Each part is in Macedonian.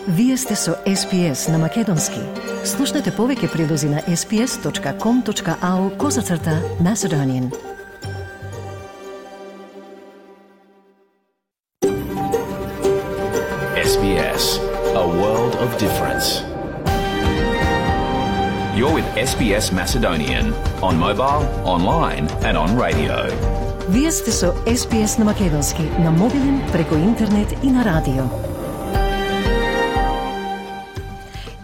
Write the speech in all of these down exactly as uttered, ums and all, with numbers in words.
Вие сте со Ес Би Ес на Македонски. Слушнете повеќе прилози на ес би ес точка ком точка ау козацрта Macedonian. Ес Би Ес, a world of difference. You're with Ес Би Ес Macedonian on mobile, online and on radio. Вие сте со Ес Би Ес на Македонски, на мобилен, преку интернет и на радио.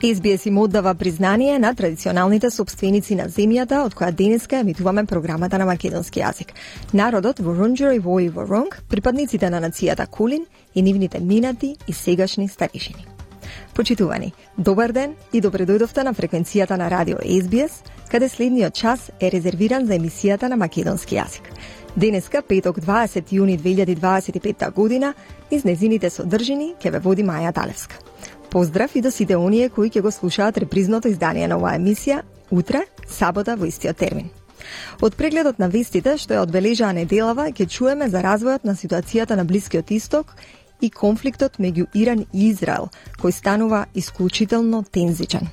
Ес Би Ес им оддава признание на традиционалните собственици на земјата од која денеска емитуваме програмата на македонски јазик. Народот Ворунџери Вој Воронг, припадниците на нацијата Кулин и нивните минати и сегашни старешини. Почитувани, добар ден и добре дојдовте на фреквенцијата на радио Ес Би Ес, каде следниот час е резервиран за емисијата на македонски јазик. Денеска, петок, дваесети јуни две илјади дваесет и петта година, низ незините содржини ќе ве води Маја Талевска. Поздрав и до сите оние кои ќе го слушаат репризното издание на оваа емисија утре, сабота во истиот термин. Од прегледот на вестите што ја одбележаа неделава ќе чуеме за развојот на ситуацијата на Блискиот Исток и конфликтот меѓу Иран и Израел, кој станува исклучително тензичен.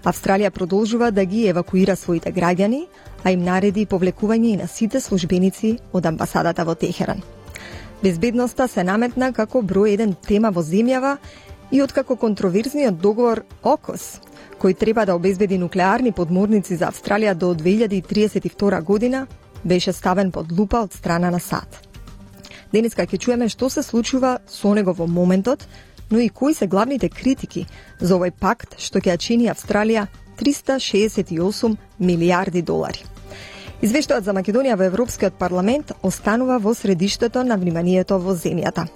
Австралија продолжува да ги евакуира своите граѓани, а им нареди повлекување и на сите службеници од амбасадата во Техеран. Безбедноста се наметна како број еден тема во земјава и откако контроверзниот договор ОКОС, кој треба да обезбеди нуклеарни подморници за Австралија до две илјади триесет и втора година, беше ставен под лупа од страна на САД. Денеска ќе чуеме што се случува со него во моментот, но и кои се главните критики за овој пакт што ќе ја чини Австралија триста шеесет и осум милијарди долари. Извештајот за Македонија во Европскиот парламент останува во средиштето на вниманието во земјата.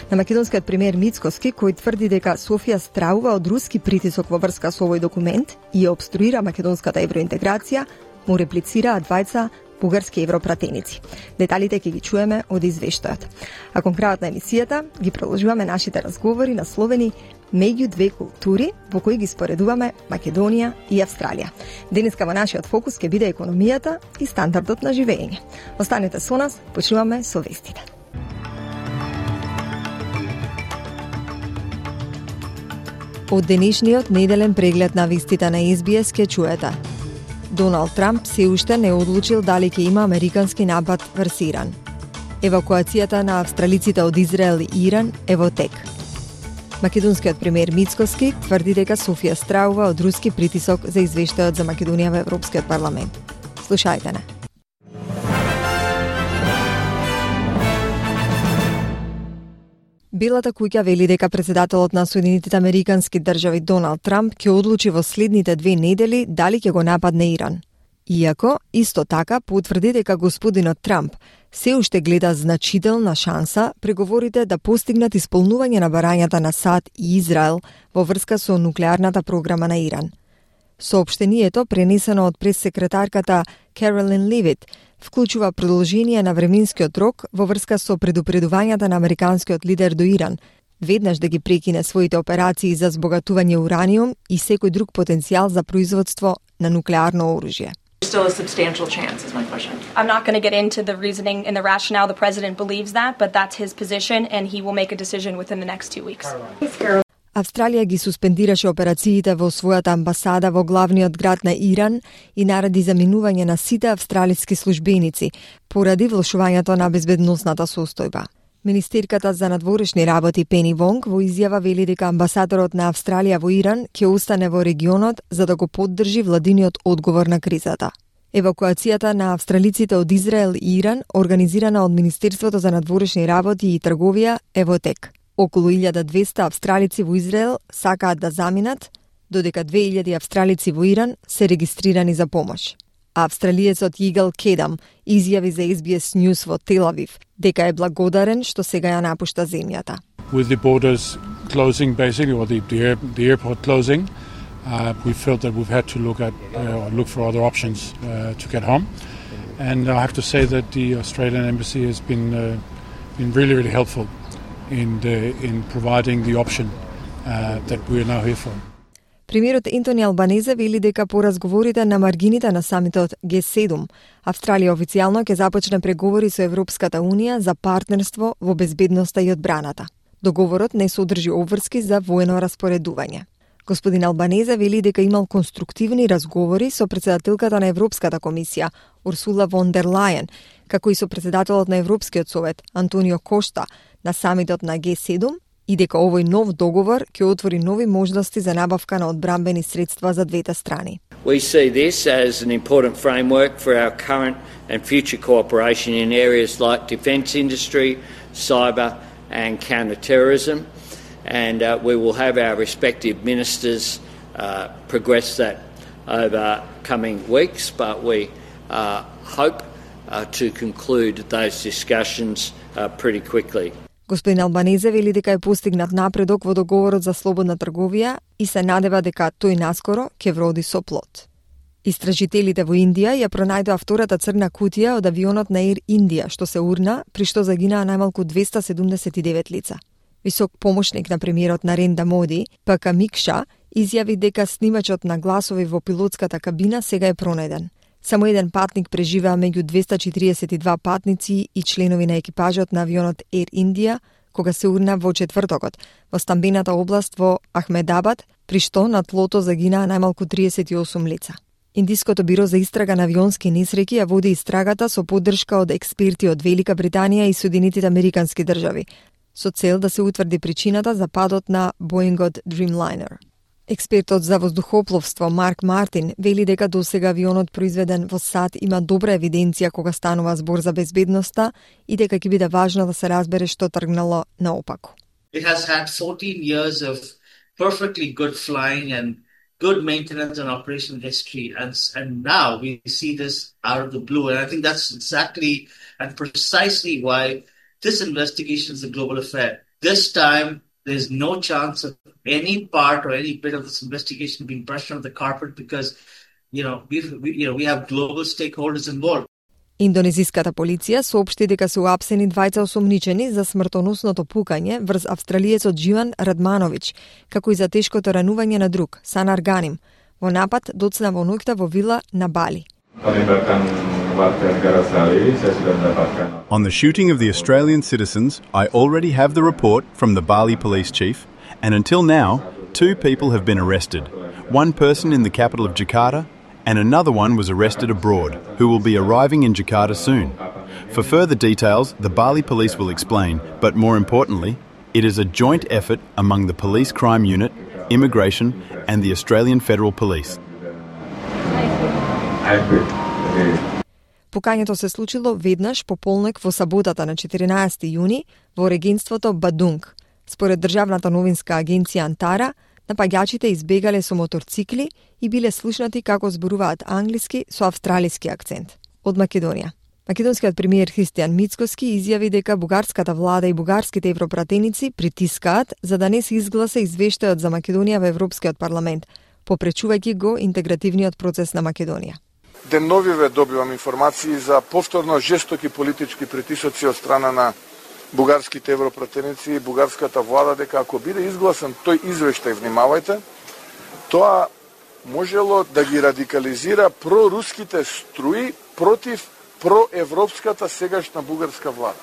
На македонскиот премиер Мицкоски, кој тврди дека Софија страува од руски притисок во врска со овој документ и ја обструира македонската евроинтеграција, му реплицираат двајца бугарски европратеници. Деталите ќе ги чуеме од извештајот. А кон крајот на емисијата ги продолжуваме нашите разговори насловени меѓу две култури, во кои ги споредуваме Македонија и Австралија. Денеска во нашиот фокус ќе биде економијата и стандардот на живење. Останете со нас, почнуваме со вестите. Од денешниот неделен преглед на вестите на Ес Би Ес ќе чуете: Доналд Трамп се уште не одлучил дали ќе има американски напад врз Иран. Евакуацијата на австралиците од Израел и Иран е во тек. Македонскиот премиер Мицкоски тврди дека Софија страува од руски притисок за извештајот за Македонија во Европскиот парламент. Слушајте не. Белата куќа вели дека председателот на Соединетите американски држави Доналд Трамп ќе одлучи во следните две недели дали ќе го нападне Иран. Иако, исто така, потврди дека господинот Трамп се уште гледа значителна шанса преговорите да постигнат исполнување на барањата на САД и Израел во врска со нуклеарната програма на Иран. Соопштението, пренесено од прес-секретарката Каролин Левит, вклучува продолжение на временскиот рок во врска со предупредувањата на американскиот лидер до Иран, веднаш да ги прекине своите операции за збогатување ураниум и секој друг потенцијал за производство на нуклеарно оружје. Still a substantial chance is my question. I'm not going to get into the reasoning and the rationale. The president believes that, but that's his position and he will make a decision within the next two weeks. Австралија ги суспендираше операциите во својата амбасада во главниот град на Иран и нареди заминување на сите австралиски службеници поради влошувањето на безбедносната состојба. Министерката за надворешни работи Пени Вонг во изјава вели дека амбасадорот на Австралија во Иран ќе остане во регионот за да го поддржи владиниот одговор на кризата. Евакуацијата на австралиците од Израел и Иран, организирана од Министерството за надворешни работи и трговија, е во тек. Околу илјада и двесте австралици во Израел сакаат да заминат, додека две илјади австралици во Иран се регистрирани за помош. Австралиецот Игал Кедам изјави за Ес Би Ес News во Тел Авив дека е благодарен што сега ја напушта земјата. With the borders closing basically, or the, the, air, the airport closing, uh, we felt that we've had to look at uh, or look for other options uh, to get home. And I have to say that the Australian Embassy has been uh, been really, really helpful in the, in providing the option uh, that we are now here for. Премиерот Ентони Албанезе вели дека по разговорите на маргините на самитот Ге седум, Австралија официјално ќе започне преговори со Европската Унија за партнерство во безбедноста и одбраната. Договорот не содржи обврски за воено распоредување. Господин Албанезе вели дека имал конструктивни разговори со председателката на Европската комисија, Урсула фон дер Лајен, како и со председателот на Европскиот совет, Антонио Кошта, на самитот на Г седум, и дека овој нов договор ќе отвори нови можности за набавка на одбранбени средства за двете страни. We see this as an important framework for our current and future cooperation in areas like defence industry, cyber and counter-terrorism, and uh, we will have our respective ministers uh, progress that over coming weeks, but we uh, hope uh, to conclude those discussions uh, pretty quickly. Господин Албанезе вели дека е постигнат напредок во договорот за слободна трговија и се надева дека тој наскоро ќе вроди со плод. Истражителите во Индија ја пронајдоа втората црна кутија од авионот на Air India, што се урна, при што загинаа најмалку двеста седумдесет и девет лица. Висок помошник на премиерот Нарендра Моди, П К Микша, изјави дека снимачот на гласови во пилотската кабина сега е пронајден. Само еден патник преживеа меѓу двеста четириесет и два патници и членови на екипажот на авионот Air India, кога се урна во четвртокот во стамбената област во Ахмедабад, при што на тлото загинаа најмалку триесет и осум лица. Индиското биро за истрага на авионски несреќи ја води истрагата со поддршка од експерти од Велика Британија и Соединетите Американски држави, со цел да се утврди причината за падот на Боингот Dreamliner. Експертот за воздухопловство Марк Мартин вели дека досега авионот произведен во САД има добра евиденција кога станува збор за безбедноста и дека ќе биде важно да се разбере што тргнало наопаку. It has had fourteen years of perfectly good flying and good maintenance and operation history, and and now we see this out of the blue, and I think that's exactly and precisely why this investigation is a global affair. This time, there's no chance of any part or any bit of this investigation being brushed under the carpet because, you know, we've, we, you know, we have global stakeholders involved. Индонезиската полиција соопшти дека се уапсени двајца осомничени за смртоносното пукање врз австралиецот Дживан Радмановиќ, како и за тешкото ранување на друг, Санар Ганим, во напад доцна во ноќта во вила на Бали. On the shooting of the Australian citizens, I already have the report from the Bali police chief, and until now, two people have been arrested. One person in the capital of Jakarta, and another one was arrested abroad, who will be arriving in Jakarta soon. For further details, the Bali police will explain, but more importantly, it is a joint effort among the Police Crime Unit, Immigration, and the Australian Federal Police. Пукањето се случило веднаш по полнок во саботата на четиринаесети јуни во регенството Бадунг. Според државната новинска агенција Антара, напаѓачите избегале со моторцикли и биле слушнати како зборуваат англиски со австралиски акцент. Од Македонија. Македонскиот премиер Христијан Мицкоски изјави дека бугарската влада и бугарските европратеници притискаат за да не се изгласа извештајот за Македонија во Европскиот парламент, попречувајќи го интегративниот процес на Македонија. Деновиве добивам информации за повторно жестоки политички притисоци од страна на бугарските европратеници и бугарската влада дека ако биде изгласан тој извештај, внимавајте, тоа можело да ги радикализира проруските струи против проевропската сегашна бугарска влада.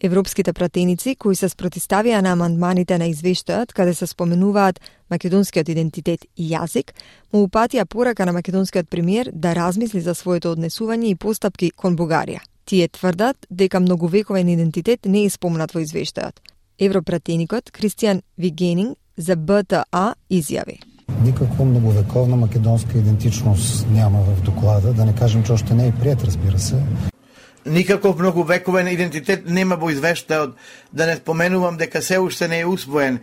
Европските пратеници кои се спротивставија на амандманите на извештајот каде се споменуваат македонскиот идентитет и јазик, му упатија порака на македонскиот премиер да размисли за своето однесување и постапки кон Бугарија. Тие тврдат дека многовековен идентитет не е спомнат во извештајот. Европратеникот Кристијан Вигенинг за Б Т А изјави: Никаква многовековна македонска идентичност няма в доклада, да не кажем, че още не е приет, разбира се. Никаков многовековен идентитет нема во извештајот, да не споменувам дека се уште не е усвоен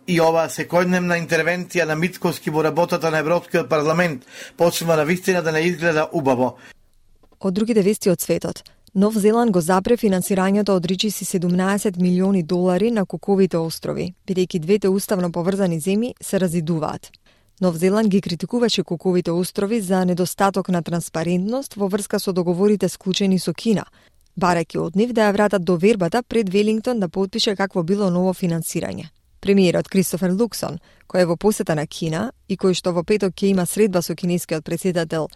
и ова секојдневна интервенција на Мицкоски во работата на Европскиот парламент почнува на вистина да не изгледа убаво. Од другите вести од светот, Нов Зеланд го запре финансирањето од речиси седумнаесет милиони долари на Куковите острови, бидејќи двете уставно поврзани земји се разидуваат. Нов Зеланд ги критикуваше Куковите острови за недостаток на транспарентност во врска со договорите склучени со Кина, барајќи од нив да ја вратат довербата пред Велингтон да потпише какво било ново финансирање. Премиерот Кристофер Луксон, кој е во посета на Кина и кој што во петок ќе има средба со кинескиот претседател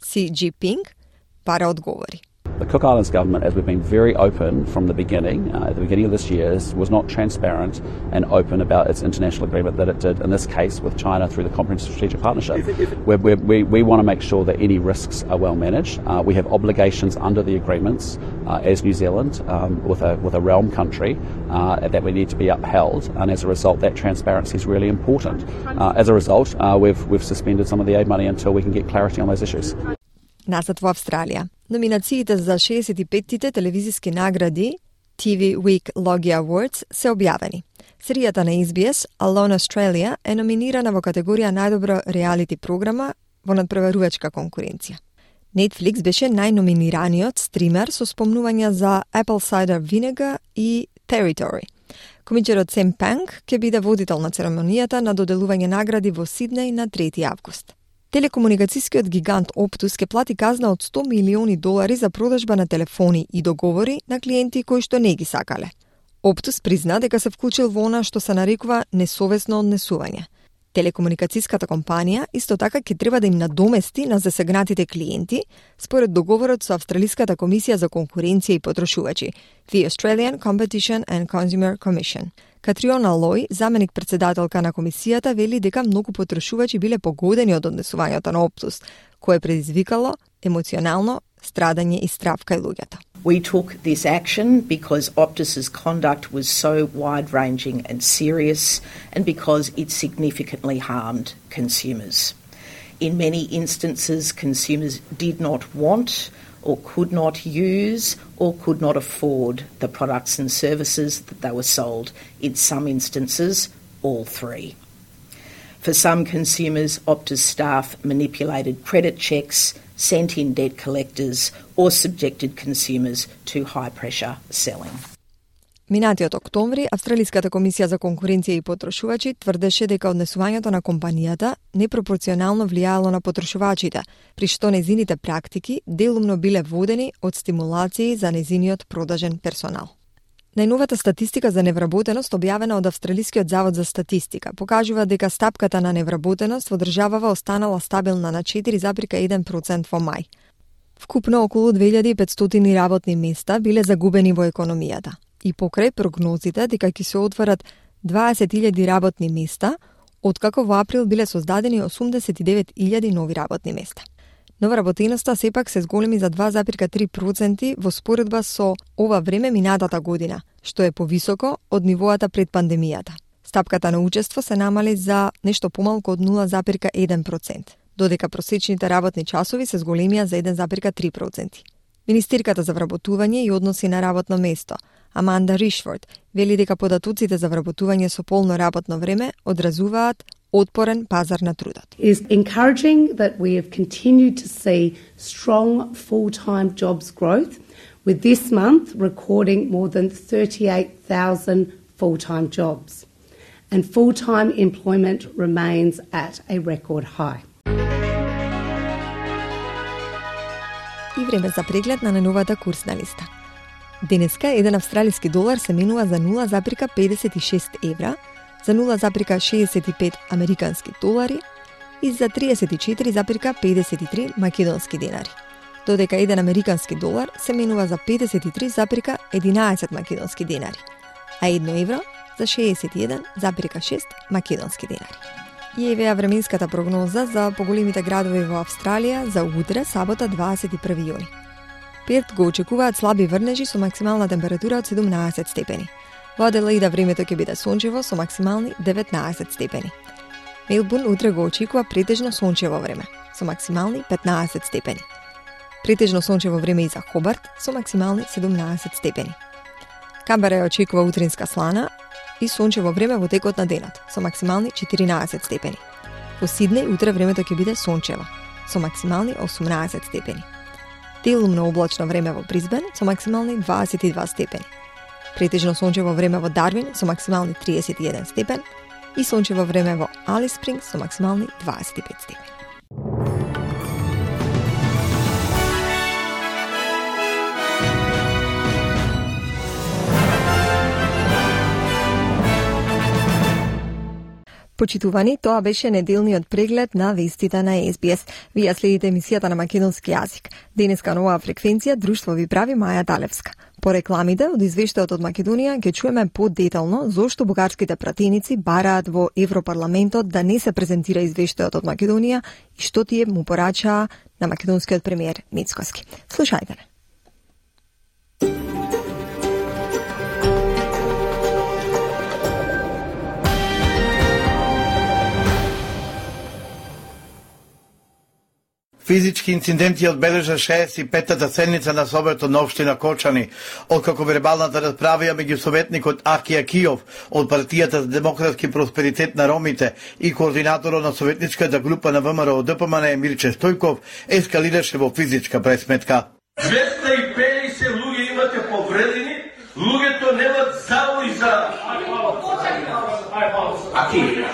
Си Џинпинг, пара одговори. The Cook Islands government, as we've been very open from the beginning, uh, at the beginning of this year, was not transparent and open about its international agreement that it did, in this case, with China through the Comprehensive Strategic Partnership. We're, we're, we we want to make sure that any risks are well managed. Uh, we have obligations under the agreements uh, as New Zealand um, with a with a realm country uh, that we need to be upheld, and as a result, that transparency is really important. Uh, as a result, uh, we've we've suspended some of the aid money until we can get clarity on those issues. Назад во Австралија. Номинациите за шеесет и петтите телевизиски награди Ти Ви Week Logie Awards се објавени. Серијата на Ес Би Ес Alone Australia е номинирана во категорија најдобра реалити програма во надпреварувачка конкуренција. Netflix беше најноминираниот стример со спомнувања за Apple Cider Vinegar и Territory. Комичерот Сем Панк ќе биде водител на церемонијата на доделување награди во Сиднеј на трети август. Телекомуникацијскиот гигант Optus ќе плати казна од сто милиони долари за продажба на телефони и договори на клиенти кои што не ги сакале. Optus призна дека се вклучил во она што се нарекува несовесно однесување. Телекомуникацијската компанија исто така ќе треба да им надомести на засегнатите клиенти според договорот со Австралиската комисија за конкуренција и потрошувачи, The Australian Competition and Consumer Commission. Катриона Лој, заменик председателка на комисијата, вели дека многу потрошувачи биле погодени од однесувањето на Optus, кое предизвикало емоционално страдање и страв кај луѓето. We took this action because Optus's conduct was so wide-ranging and serious, and because it significantly harmed consumers. In many instances, consumers did not want or could not use or could not afford the products and services that they were sold. In some instances, all three. For some consumers, Optus staff manipulated credit checks, sent in debt collectors, or subjected consumers to high-pressure selling. Минатиот октомври, Австралиската комисија за конкуренција и потрошувачи тврдеше дека однесувањето на компанијата непропорционално влијаело на потрошувачите, при што незините практики делумно биле водени од стимулации за незиниот продажен персонал. Најновата статистика за невработеност, објавена од Австралискиот завод за статистика, покажува дека стапката на невработеност во државава останала стабилна на четири zarez еден процент во мај. Вкупно околу две илјади и петстотини работни места биле загубени во економијата. И покрај прогнозите дека ќе се отворат дваесет илјади работни места, откако во април биле создадени осумдесет и девет илјади нови работни места. Новоработеноста сепак се зголеми за два zarez три проценти во споредба со ова време минатата година, што е повисоко од нивоата пред пандемијата. Стапката на учество се намали за нешто помалку од нула zarez еден процент, додека просечните работни часови се зголемија за еден zarez три проценти. Министерката за вработување и односи на работно место, Аманда Ришфорд, вели дека податоците за вработување со полно работно време одразуваат отпорен пазар на трудот. It is encouraging that we have continued to see strong full-time jobs growth, with this month recording more than thirty-eight thousand full-time jobs. And full-time employment remains at a record high. И време за преглед на најновата курсна листа. Денеска еден австралиски долар се менува за нула zarez педесет и шест евра, за нула zarez шеесет и пет американски долари и за триесет и четири zarez педесет и три македонски денари, додека еден американски долар се менува за педесет и три zarez единаесет македонски денари, а едно евро за шеесет и еден zarez шест македонски денари. И евеа временската прогноза за поголемите градови во Австралија за утре, сабота, дваесет и први јуни. Перт го очекуваат слаби врнежи со максимална температура од седумнаесет степени. Во Аделаида времето ќе биде сончево со максимални деветнаесет степени. Мелбурн утре го очекува претежно сончево време со максимални петнаесет степени. Претежно сончево време и за Хобарт со максимални седумнаесет степени. Камбера ја очекува утринска слана и сончево време во текот на денот со максимални четиринаесет степени. Во Сиднеј утре времето ќе биде сончево со максимални осумнаесет степени. Делумно облачно време во Брисбен со максимални дваесет и два степени. Претежно сончево време во Дарвин со максимални триесет и еден степен и сончево време во Алис Спрингс со максимални дваесет и пет степени. Почитувани, тоа беше неделниот преглед на вестите на Ес Би Ес. Вие следите емисијата на македонски јазик. Денеска нова фреквенција Друштво ви прави Маја Далевска. По рекламите од извештајот од Македонија ќе чуеме подетално зошто бугарските пратеници бараат во Европарламентот да не се презентира извештајот од Македонија и што тие му порачаа на македонскиот премиер Мицкоски. Слушајте не. Физички инциденти одбележа шеесет и петтата седница на Советот на општина Кочани, откако вербалната расправа меѓу советникот Аки Акиов од партијата за демократски просперитет на ромите и координаторот на советничката група на ВМРО Д П М Н Мирче Стојков ескалираше во физичка пресметка. двеста и педесет луѓе имате повредени, луѓето немат завои за Аки.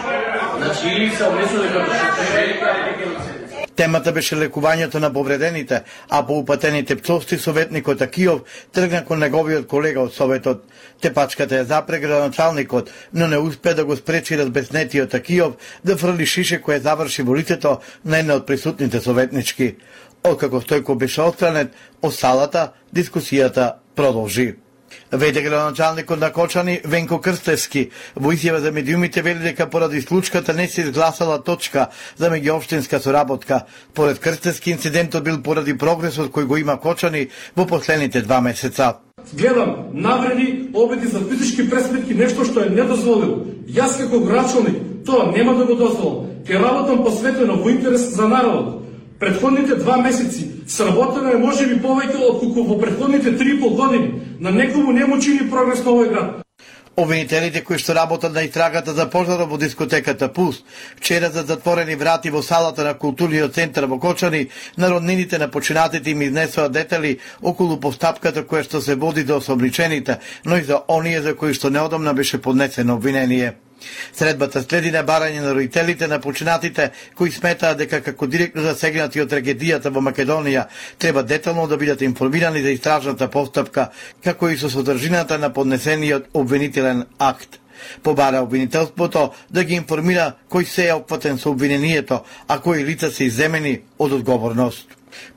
Значи или се умесно дека што Темата беше лекувањето на повредените, а по упатените пцовсти советникот Акиов тргна кон неговиот колега од Советот. Тепачката ја запре градоначалникот, но не успе да го спречи разбеснетиот Акиов да фрли шише кое заврши во лицето на една од присутните советнички. Откако Стојко беше отстранет, од салата дискусијата продолжи. Веде градоначалникот на Кочани Венко Крстевски во изјава за медиумите вели дека поради случката не се изгласала точка за меѓуопштинска соработка. Поред Крстевски инцидентот бил поради прогресот кој го има Кочани во последните два месеца. Гледам навреди обиди за физички пресметки, нешто што е недозволило. Јас како градоначалник тоа нема да го дозволам. Ке работам посветено во интерес за народот. Предходните два месеци сработено е можеби повеќе отколку во предходните три и пол години. На некому не му чини прогрес на овој град. Обвинителите кои што работат на истрагата за пожарот во дискотеката Пулс, вчера за затворени врати во салата на културниот центар во Кочани, на роднините на починатите им изнесоа детали околу постапката која што се води до осомничените, но и за оние за кои што неодамна беше поднесено обвинение. Средбата следи на барање на родителите на починатите кои сметаат дека како директно засегнати од трагедијата во Македонија треба детално да бидат информирани за истражната постапка, како и со содржината на поднесениот обвинителен акт. Побара обвинителството да ги информира кој се е опфатен со обвинението, а кои лица се изземени од одговорност.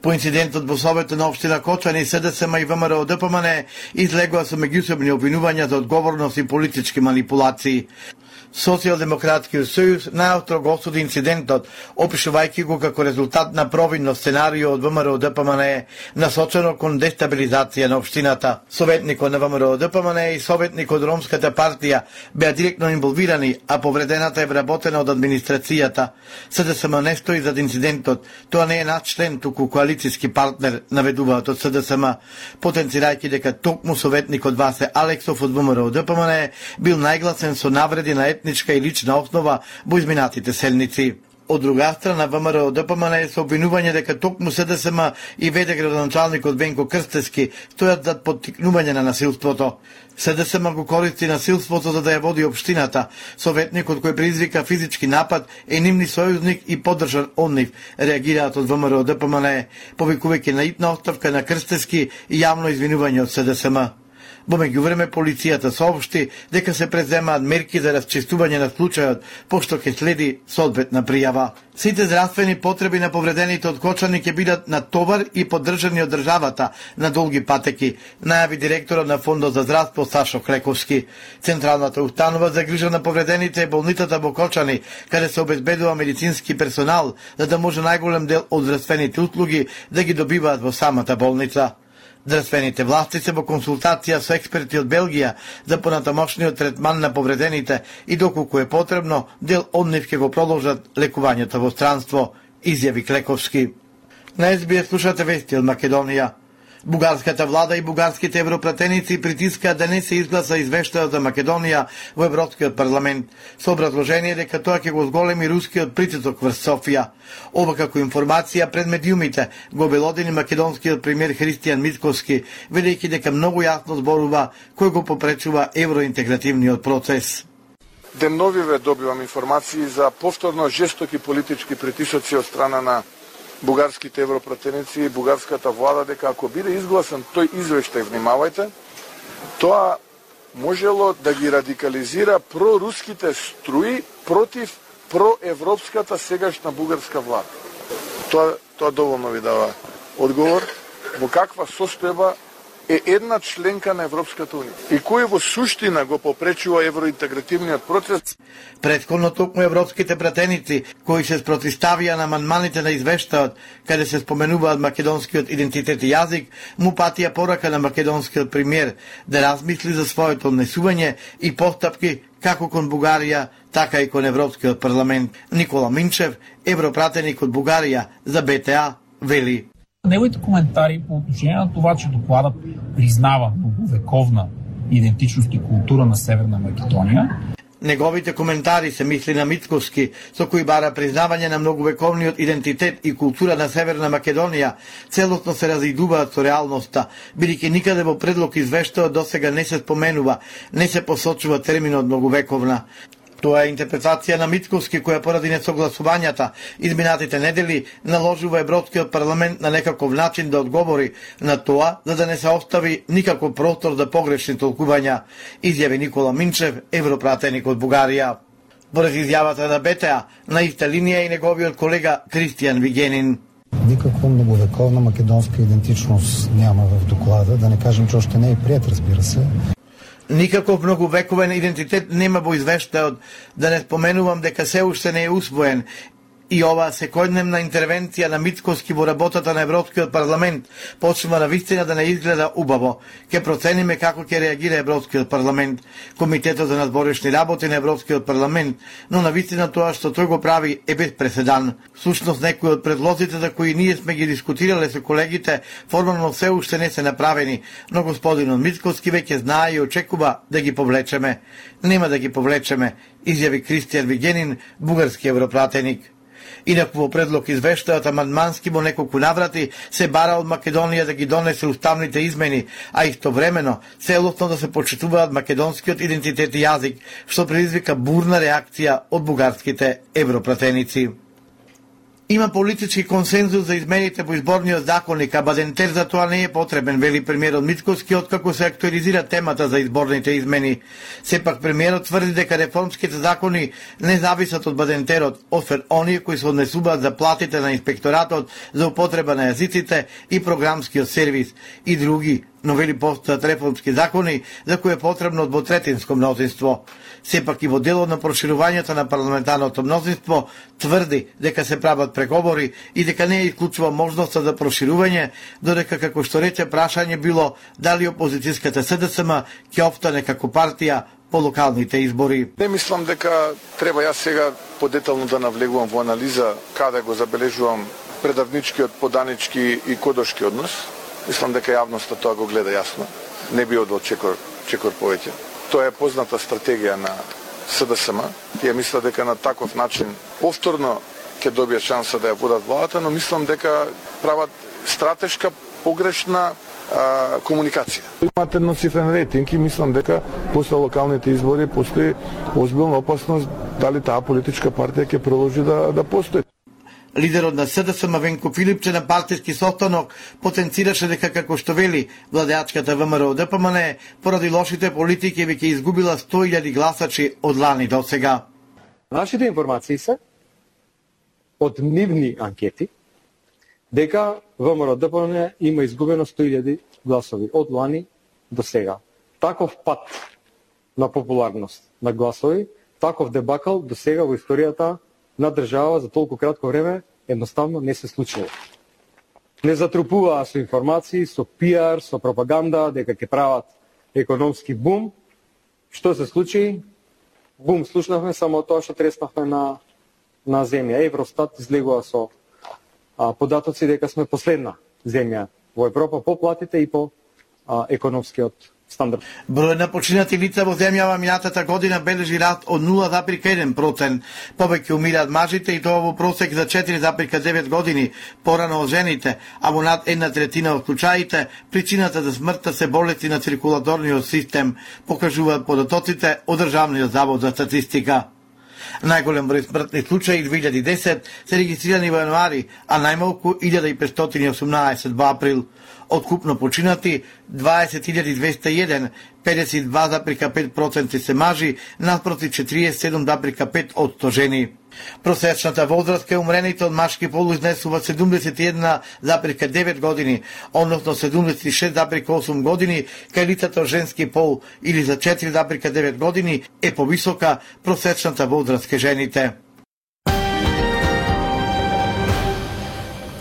По инцидентот во Советот на општина Кочани, С Д С М и В М Р Д П М Н излегува со меѓусебни обвинувања за одговорност и политички манипулации. Социјалдемократскиот сојуз најостро го осуди инцидентот, опишувајќи го како резултат на провинно сценарио од В М Р Д П М Н насочено кон дестабилизација на општината. Советникот на В М Р Д П М Н и советник од Ромската партија беа директно инволвирани, а повредената е вработена од администрацијата. С Д С М не стои зад инцидентот, тоа не е надчлен, туку коалициски партнер, наведуваат од С Д С М, потенцирајќи дека токму советникот Васе Алексов од В М Р Д П М Н бил најгласен со навреди на етничка и лична основа во изминатите седмици. Од друга страна, В М Р Д П М Н со обвинување дека токму С Д С М и веде градоначалникот Венко Крстевски стојат зад поттикнување на насилството. С Д С М го користи насилството за да ја води општината. Советникот кој предизвика физички напад е нивни сојузник и поддржан од нив, реагираат од В М Р Д П М Н, повикувајќи на итна оставка на Крстевски и јавно извинување од С Д С М. Во меѓувреме полицијата соопшти дека се преземаат мерки за расчистување на случајот, пошто ќе следи соодветна пријава. Сите здравствени потреби на повредените од Кочани ќе бидат на товар и поддржани од државата на долги патеки, најави директорот на Фондот за здравство Сашо Клековски. Централната установа за грижа на повредените е болницата во Кочани, каде се обезбедува медицински персонал, за да може најголем дел од здравствените услуги да ги добиваат во самата болница. Здравствените власти се во консултација со експерти од Белгија за понатамошниот третман на повредените и доколку е потребно, дел од нив ќе го продолжат лекувањето во странство, изјави Клековски. На Ес Би Ес слушате вести од Македонија. Бугарската влада и бугарските европратеници притискаат да не се изгласа извештајот за Македонија во Европскиот парламент, со образложение дека тоа ќе го зголеми рускиот притисок врз Софија. Ова како информација пред медиумите го обелодени македонскиот премиер Христијан Мицкоски, велејќи дека многу јасно зборува кој го попречува евроинтегративниот процес. Денновиве добивам информации за повторно жестоки политички притисоци од страна на бугарските европратеници и бугарската влада дека ако биде изгласен тој извештај, внимавајте, тоа можело да ги радикализира проруските струи против проевропската сегашна бугарска влада. Тоа, тоа доволно ви дава одговор во каква состојба е една членка на Европската унија и кој во суштина го попречува евроинтегративниот процес. Претходно токму европските пратеници кои се спротивставија на амандманите на извештаот каде се споменуваат македонскиот идентитет и јазик, му патија порака на македонскиот премиер да размисли за своето однесување и постапки како кон Бугарија, така и кон Европскиот парламент. Никола Минчев, европратеник од Бугарија за Б Т А, вели: Неговите коментари по отношение на това, че докладът признава многовековна идентичност и култура на Северна Македонија. Неговите коментари се мисли на Мицковски, со кои бара признавање на многовековниот идентитет и култура на Северна Македонија, целосно се разидуваат со реалноста, бидејќи никаде во предлог извештаот досега не се споменува, не се посочува терминот многовековна. Тоа е интерпретација на Мицковски, која поради несогласувањата изминатите недели наложува Европскиот парламент на некаков начин да одговори на тоа, за да не се остави никаков простор за погрешни толкувања, изјави Никола Минчев, европратеник од Бугарија. Поред изјавата на Б Т А, на иста линија и неговиот колега Кристијан Вигенин. Никаква многовековна македонска идентичност няма в доклада, да не кажем, че още не е приет, разбира се. Никаков многовековен идентитет нема во извештаот, да не споменувам дека се уште не е усвоен. И оваа секојдневна интервенција на Мицковски во работата на Европскиот парламент почнува на вистина да не изгледа убаво. Ке процениме како ќе реагира Европскиот парламент, Комитетот за надворешни работи на Европскиот парламент, но на вистина тоа што тој го прави е без преседан. Всушност некои од предлозите за кои ние сме ги дискутирале со колегите формално се уште не се направени, но господинот Мицковски веќе знае и очекува да ги повлечеме. Нема да ги повлечеме, изјави Кристијан Вигенин, бугарски европратеник. Инаку во предлог извештаот амандмански во неколку наврати се бара од Македонија да ги донесе уставните измени, а истовремено целосно да се почитуваат македонскиот идентитет и јазик, што предизвика бурна реакција од бугарските европратеници. Има политички консензус за измените во изборниот законник, а бадентер за тоа не е потребен, вели премиерот Мицковски, откако се актуализира темата за изборните измени. Сепак премиерот тврди дека реформските закони не зависат од бадентерот, освен оние кои се однесуваат за платите на инспекторатот за употреба на јазиците и програмскиот сервис и други, но вели постојат реформски закони за кои е потребно двотретинско мнозинство. Сепак и во делот на проширувањето на парламентарното мнозинство тврди дека се прават преговори и дека не е исклучува можноста за проширување, додека како што рече прашање било дали опозицијската С Д С М ќе опстане како партија по локалните избори. Не мислам дека треба јас сега подетално да навлегувам во анализа каде го забележувам предавничкиот, поданички и кодошки однос. Мислам дека јавноста тоа го гледа јасно. Не би одел чекор, чекор повеќе. Тоа е позната стратегија на С Д С М. Тие мисля дека на таков начин повторно ќе добијат шанса да ја водат владата, но мислам дека прават стратешка погрешна а, комуникација. Имате едноцифрен рейтинг и мислам дека после локалните избори постои озбилна опасност дали таа политичка партија ќе продолжи да, да постои. Лидерот на С Д С М Венко Филипче на партиски состанок потенцираше дека како што вели владеачката В М Р О Д П М Н поради лошите политики веќе изгубила сто илјади гласачи од лани до сега. Нашите информации се од нивни анкети дека В М Р О Д П М Н има изгубено сто илјади гласови од лани до сега. Таков пат на популарност на гласови, таков дебакал до сега во историјата на држава за толку кратко време едноставно не се случило. Не затрупуваа со информации, со пиар, со пропаганда дека ќе прават економски бум. Што се случи? Бум слушнавме само тоа што треснавме на на земја. Евростат излегува со а, податоци дека сме последна земја во Европа по платите и по а, економскиот стандард. Бројот на починати лица во земјава минатата година бележи раст од нула зарез еден процент. Повеќе умираат мажите и тоа во просек за четири зарез девет години порано од жените, а во над една третина од случаите причината за смртта се болести на циркулаторниот систем, покажуваат податоците од Државниот завод за статистика. Најголем број смртни случаи две илјади и десет се регистрирани во јануари, а најмалку илјада и петстотини и осумнаесет во април. Откупно починати дваесет илјади двесте и еден, педесет и два запирка пет проценти се мажи, наспроти четириесет и седум запирка пет одсто жени. Просечната возраст кај умрените од машки пол изнесува седумдесет и една запирка девет години, односно седумдесет и шест запирка осум години, кај лицата од женски пол или за четири запирка девет години е повисока просечната возраст кај жените.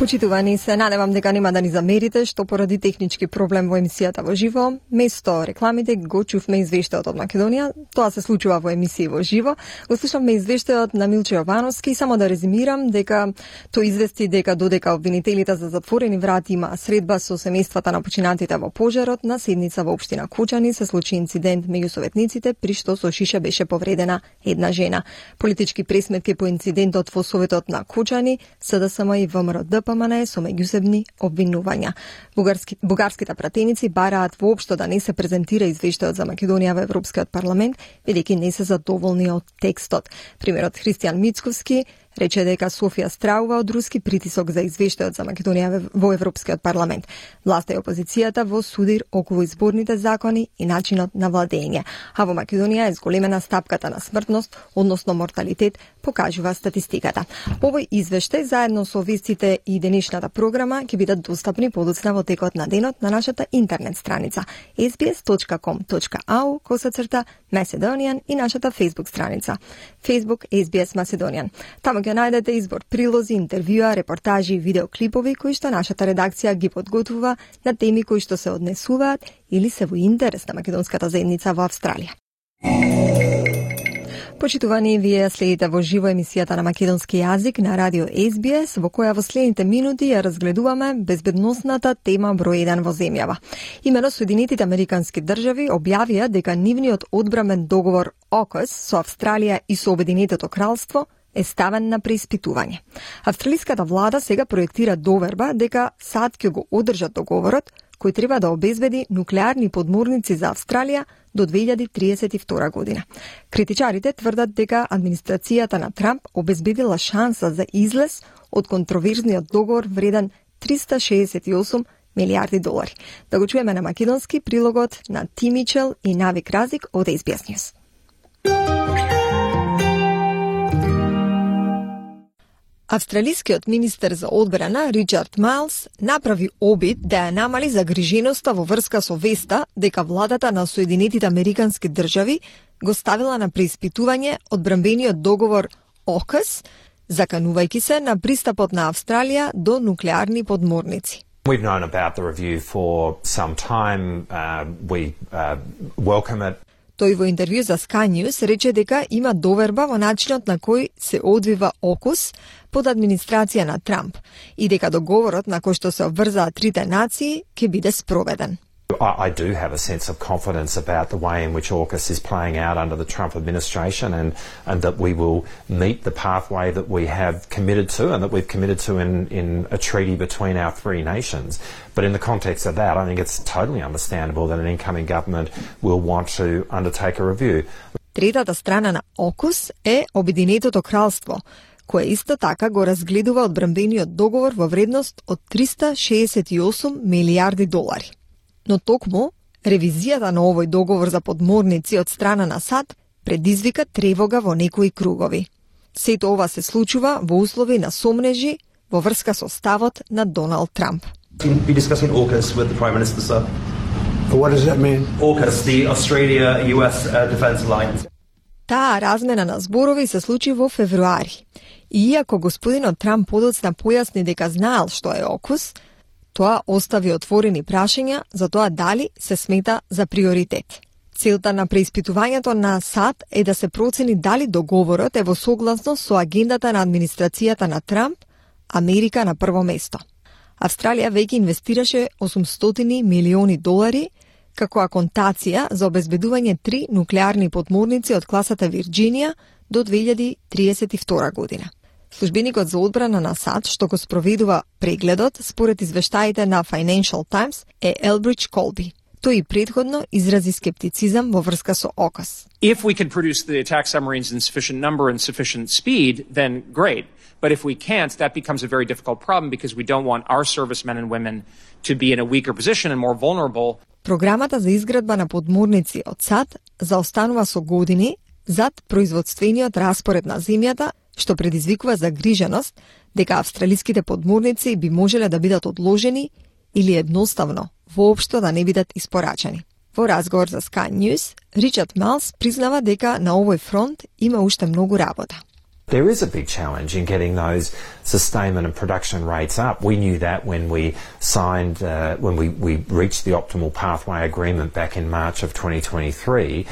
Почитувани се, надевам дека нема да ни замерите што поради технички проблем во емисијата во живо, место рекламите го чувме извештајот од Македонија. Тоа се случува во емисија во живо. Го слушавме извештајот на Милче Јовановски. Само да резимирам дека тој извести дека додека обвинителите за затворени врати има средба со семејствата на починатите во пожарот, на седница во општина Кучани се случи инцидент меѓу советниците при што со шиша беше повредена една жена. Политички пресметки по инцидентот во Советот на Кучани, СДСМ и ВМРО ДПМН со меѓусебни обвинувања. Бугарски, бугарските пратеници бараат воопшто да не се презентира извештајот за Македонија во Европскиот парламент, бидејќи не се задоволни од текстот. Примерот Христијан Мицковски рече дека Софија страува од руски притисок за извештајот за Македонија во Европскиот парламент. Власта и опозицијата во судир околу изборните закони и начинот на владење. А во Македонија е зголемена стапката на смртност, односно морталитет, покажува статистиката. Овој извештај заедно со вестите и денешната програма ќе бидат достапни подоцна во текот на денот на нашата интернет страница ес би ес точка ком точка ау косацрта Macedonian и нашата Facebook страница Facebook ес би ес Macedonian. Таму ќе најдете избор прилози, интервјуа, репортажи и видеоклипови кои што нашата редакција ги подготвува на теми кои што се однесуваат или се во интерес на македонската заедница во Австралија. Почитувани, вие следите во живо емисијата на македонски јазик на радио ес би ес, во која во следните минути ја разгледуваме безбедносната тема број еден во земјава. Имено Соединетите Американски држави објавија дека нивниот одбрамен договор ОКУС со Австралија и со Обединетото кралство е ставен на преиспитување. Австралиската влада сега проектира доверба дека САД ќе го одржат договорот, кој треба да обезбеди нуклеарни подморници за Австралија до две илјади триесет и втора година. Критичарите тврдат дека администрацијата на Трамп обезбедила шанса за излез од контроверзниот договор вреден триста шеесет и осум милијарди долари. Да го чуеме на македонски прилогот на Ти Мичел и Навик Разик од ес би ес News. Австралискиот министер за одбрана Ричард Майлс направи обид да ја намали загриженоста во врска со веста дека владата на Соединетите Американски држави го ставила на преиспитување одбранбениот договор ОКУС, заканувајќи се на пристапот на Австралија до нуклеарни подморници. We've known about the review for some time. Uh, we uh, welcome it. Тој во интервју за Sky News рече дека има доверба во начинот на кој се одвива ОКУС под администрација на Трамп и дека договорот на кој што се обврзаат трите нации ќе биде спроведен. I do have a sense of confidence about the way in which AUKUS is playing out under the Trump administration and, and that we will meet the pathway that we have committed to and that we've committed to in, in a treaty between our three nations. But in the context of that, I think it's totally understandable that an incoming government will want to undertake a review. Третата страна на ОКУС е Обединетото кралство, кое исто така го разгледува одбранбениот договор во вредност од триста шеесет и осум милијарди долари. Но токму, ревизијата на овој договор за подморници од страна на САД предизвика тревога во некои кругови. Сето ова се случува во услови на сомнежи во врска со ставот на Доналд Трамп. Be discussing AUKUS with the Prime Minister, sir. What does that mean? AUKUS, the Australia-U S uh, Defence Alliance. Таа размена на зборови се случи во февруари. И иако господинот Трамп подоцна појасни дека знаел што е ОКУС, тоа остави отворени прашања за тоа дали се смета за приоритет. Целта на преиспитувањето на САД е да се процени дали договорот е во согласност со агендата на администрацијата на Трамп, Америка на прво место. Австралија веќе инвестираше осумстотини милиони долари како аконтација за обезбедување три нуклеарни подморници од класата Вирџинија до две илјади триесет и втора година. Службеникот за одбрана на САД, што го спроведува прегледот, според извештаите на Financial Times, е Елбридж Колби. Тој и предходно изрази скептицизам во врска со ОКУС. If we can produce the attack submarines in sufficient number and sufficient speed, then great. But if we can't, that becomes a very difficult problem because we don't want our servicemen and women to be in a weaker position and more vulnerable. Програмата за изградба на подморници од САД заостанува со години зад производствениот распоред на земјата, што предизвикува загриженост дека австралиските подморници би можеле да бидат одложени или едноставно воопшто да не бидат испорачани. Во разговор за Sky News, Ричард Малс признава дека на овој фронт има уште многу работа. There is a big challenge in getting those sustainment and production rates up. We knew that when we signed, uh, when we, we reached the optimal pathway agreement back in March of twenty twenty-three.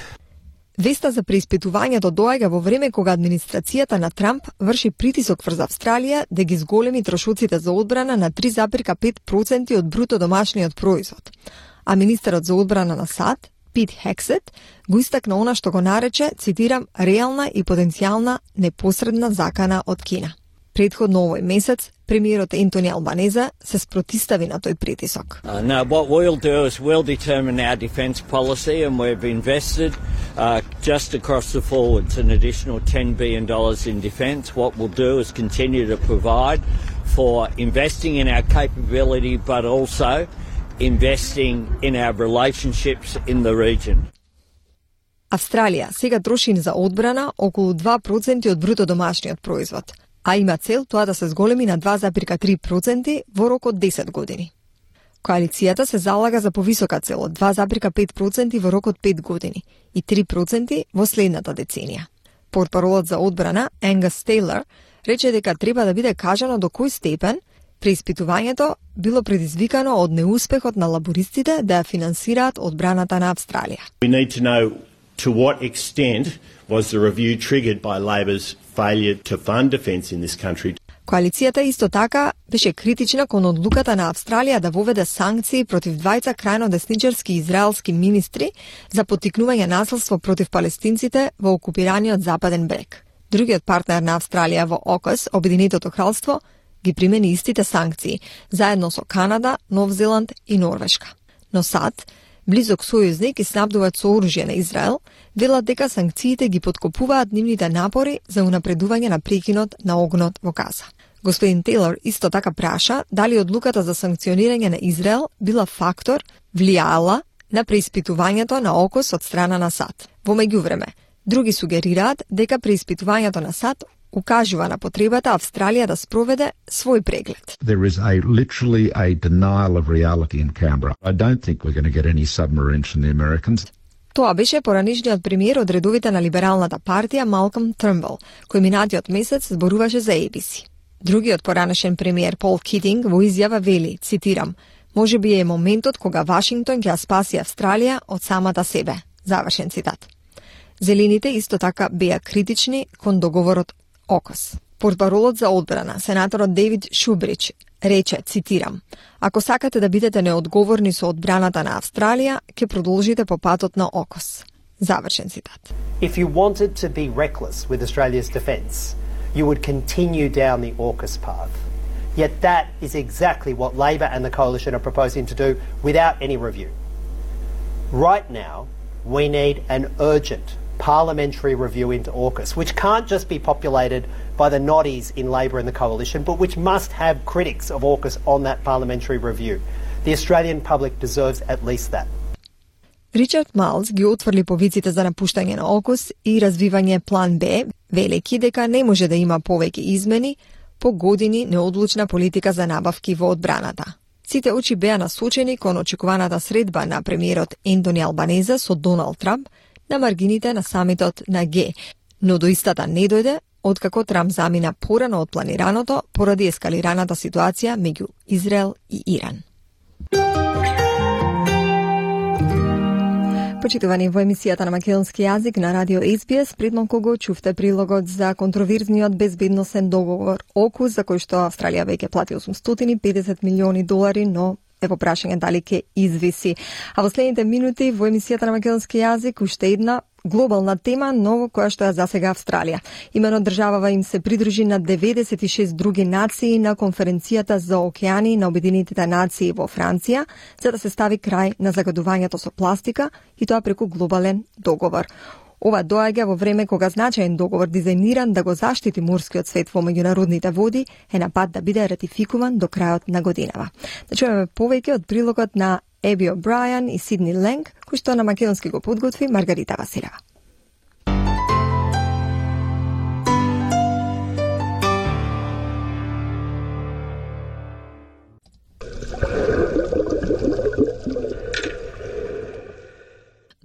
Веста за преиспитувањето доаѓа во време кога администрацијата на Трамп врши притисок врз Австралија да ги зголеми трошоците за одбрана на три запирка пет проценти од бруто домашниот производ. А министерот за одбрана на САД, Пит Хексет, го истакна она што го нарече, цитирам, реална и потенцијална непосредна закана од Кина. Предходно овој месец, премиерот Ентони Албанезе се спротистави на тој притисок. Uh, no, what we'll do is we'll determine our defence policy and we've invested uh, just across the forwards an additional ten billion dollars in defence. What we'll do is continue to provide for investing in our capability but also investing in our relationships in the region. Австралија сега троши за одбрана околу два проценти од бруто домашниот производ, а има цел тоа да се зголеми на два запирка три проценти во рок од десет години. Коалицијата се залага за повисока цел од два запирка пет проценти во рок од пет години и три проценти во следната деценија. Портпаролот за одбрана Енгас Тейлор рече дека треба да биде кажано до кој степен преиспитувањето било предизвикано од неуспехот на лабористите да ја финансираат одбраната на Австралија. We need to know to what extent was the review triggered by Labor's failure to fund defence in this country. Коалицијата исто така беше критична кон одлуката на Австралија да воведе санкции против двајца крајно десничарски израелски министри за поттикнување насилство против палестинците во окупираниот Западен брег. Другиот партнер на Австралија во ОКУС, Обединетото кралство, ги примени истите санкции, заедно со Канада, Нов Зеланд и Норвешка. Но САД, близок сојузник и снабдуваат со оружје на Израел, велат дека санкциите ги подкопуваат нивните напори за унапредување на прекинот на огнот во Газа. Господин Тейлор исто така праша дали одлуката за санкционирање на Израел била фактор, влијаела на преиспитувањето на ОКУС од страна на САД. Во меѓувреме, други сугерираат дека преиспитувањето на САД укажува на потребата Австралија да спроведе свој преглед. There is a literally a denial of reality in Canberra. I don't think we're going to get any submarines from the Americans. Тоа беше поранишниот премиер од редовите на либералната партија Малком Трмбл, кој минатиот месец зборуваше за Ей Би Си. Другиот поранешен премиер Пол Китинг во изјава вели, цитирам, можеби е моментот кога Вашингтон ќе ја спаси Австралија од самата себе. Завршен цитат. Зелените исто така беа критични кон договорот ОКУС. Портпаролот за одбрана, сенаторот Дейвид Шубрич, рече, цитирам, ако сакате да бидете неодговорни со одбраната на Австралија, ќе продолжите по патот на ОКУС. Завршен цитат. If you wanted to be reckless with Australia's defence, you would continue down the AUKUS path. Yet that is exactly what Labor and the Coalition are proposing to do without any review. Right now, we need an urgent parliamentary review into AUKUS, which can't just be populated by the noddies in Labor and the Coalition, but which must have critics of AUKUS on that parliamentary review. The Australian public deserves at least that. Ричард Малс ги отврли повиците за напуштање на ОКУС и развивање план Б, велеки дека не може да има повеќе измени по години неодлучна политика за набавки во одбраната. Сите очи беа насочени кон очекуваната средба на премиерот Ентони Албанезе со Доналд Трамп на маргините на самитот на Г, но до истата не дојде, откако Трамп замина порано од планираното поради ескалираната ситуација меѓу Израел и Иран. Почитувани, во емисијата на македонски јазик на радио Ес Би Ес, пред малку го чувте прилогот за контроверзниот безбедносен договор ОКУС, за кој што Австралија веќе плати осумстотини и педесет милиони долари, но е во прашање дали ќе извиси. А во следните минути во емисијата на македонски јазик уште една глобална тема, но која што ја засега Австралија. Имено државава им се придружи на деветдесет и шест други нации на конференцијата за океани на Обединетите нации во Франција, за да се стави крај на загадувањето со пластика и тоа преку глобален договор. Ова доаѓа во време кога значаен договор дизајниран да го заштити морскиот свет во меѓународните води е на пат да биде ратификуван до крајот на годинава. Да чуеме повеќе од прилогот на Еби О'Брајан и Сидни Ленг, кој што на македонски го подготви Маргарита Василева.